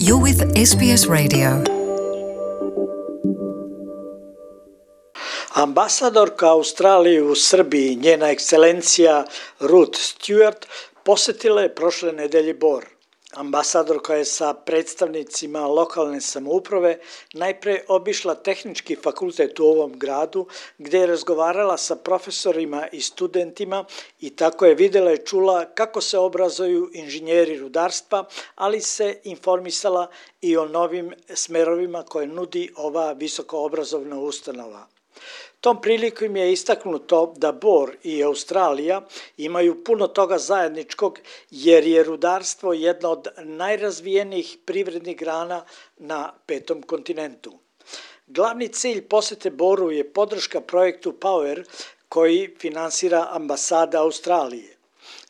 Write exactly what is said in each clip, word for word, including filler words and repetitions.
You're with S B S Radio. Ambasadorka Australije u Srbiji, njena ekscelencija Ruth Stewart, posjetila je prošle nedelje Bor. Ambasadorka je sa predstavnicima lokalne samouprave najpre obišla tehnički fakultet u ovom gradu, gdje je razgovarala sa profesorima i studentima i tako je vidjela i čula kako se obrazuju inženjeri rudarstva, ali se informisala i o novim smerovima koje nudi ova visokoobrazovna ustanova. Tom prilikom je istaknuto da Bor i Australija imaju puno toga zajedničkog jer je rudarstvo jedna od najrazvijenijih privrednih grana na petom kontinentu. Glavni cilj posjete Boru je podrška projektu Power koji finansira ambasada Australije.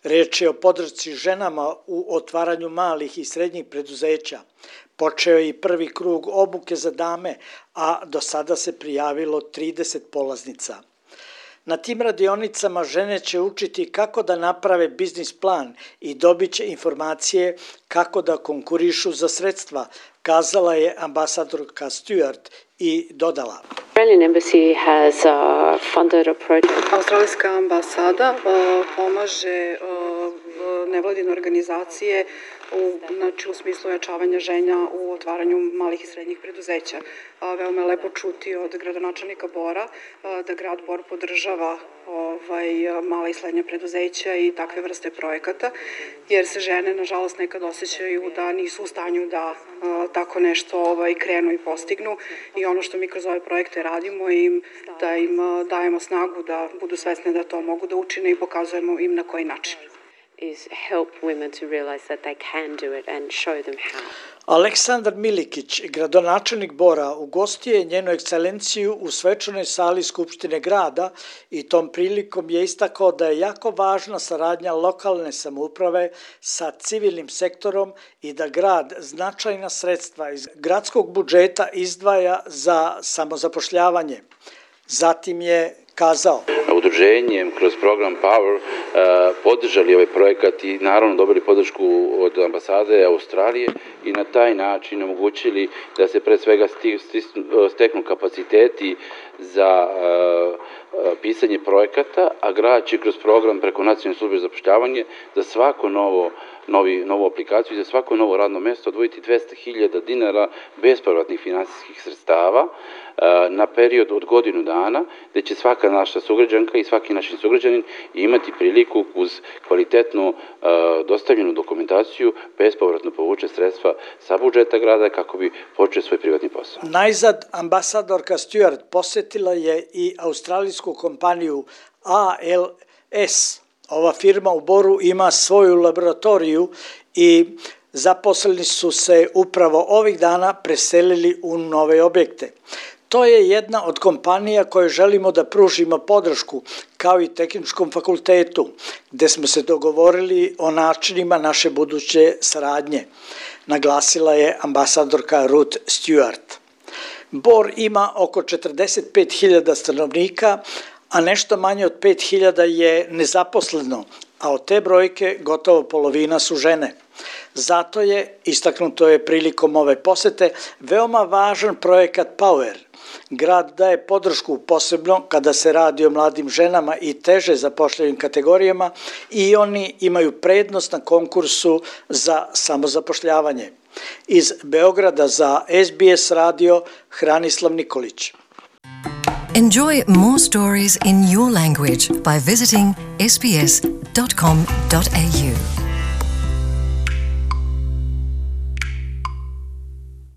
Reč je o podršci ženama u otvaranju malih i srednjih preduzeća. Počeo je i prvi krug obuke za dame, a do sada se prijavilo trideset polaznica. Na tim radionicama žene će učiti kako da naprave biznis plan i dobit će informacije kako da konkurišu za sredstva, kazala je ambasadorka Stewart i dodala. Australian Embassy has uh, funded a project. Australijska ambasada uh, pomaže uh, nevladine organizacije u, znači, u smislu ojačavanja žena u otvaranju malih i srednjih preduzeća. Uh, veoma je lepo čuti od gradonačelnika Bora uh, da grad Bor podržava ovaj, mala i srednja preduzeća i takve vrste projekata, jer se žene nažalost nekad osjećaju da nisu u stanju da uh, tako nešto ovaj, krenu i postignu, i ono što mi kroz ove projekte radimo im, da im uh, dajemo snagu da budu svesne da to mogu da učine i pokazujemo im na koji način. Is help women to realize that they can do it and show them how. Aleksandar Milikić, gradonačelnik Bora, ugostio je njenu ekscelenciju u svečanoj sali Skupštine grada i tom prilikom je istakao da je jako važna saradnja lokalne samouprave sa civilnim sektorom i da grad značajna sredstva iz gradskog budžeta izdvaja za samozapošljavanje. Zatim je kazao. Udruženjem kroz program Power uh, podržali ovaj projekat i naravno dobili podršku od ambasade Australije i na taj način omogućili da se pre svega steknu kapaciteti za uh, uh, pisanje projekata, a grad će kroz program preko Nacionalne službe za zapošljavanje za svako novo Novi, novu aplikaciju i za svako novo radno mjesto odvojiti dvesta hiljada dinara bespovratnih finansijskih sredstava na period od godinu dana, gdje će svaka naša sugrađanka i svaki naš sugrađanin imati priliku uz kvalitetnu uh, dostavljenu dokumentaciju bespovratno povuče sredstva sa budžeta grada kako bi počeo svoj privatni posao. Najzad ambasadorka Stewart posjetila je i australijsku kompaniju A L S. Ova firma u Boru ima svoju laboratoriju i zaposleni su se upravo ovih dana preselili u nove objekte. To je jedna od kompanija koje želimo da pružimo podršku, kao i tehničkom fakultetu, gdje smo se dogovorili o načinima naše buduće saradnje, naglasila je ambasadorka Ruth Stewart. Bor ima oko četrdeset pet hiljada stanovnika, a nešto manje od pet hiljada je nezaposleno, a od te brojke gotovo polovina su žene. Zato je, istaknuto je prilikom ove posete, veoma važan projekat Power. Grad daje podršku posebno kada se radi o mladim ženama i teže zapošljivim kategorijama i oni imaju prednost na konkursu za samozapošljavanje. Iz Beograda za S B S radio, Hranislav Nikolić. Enjoy more stories in your language by visiting s b s dot com dot a u.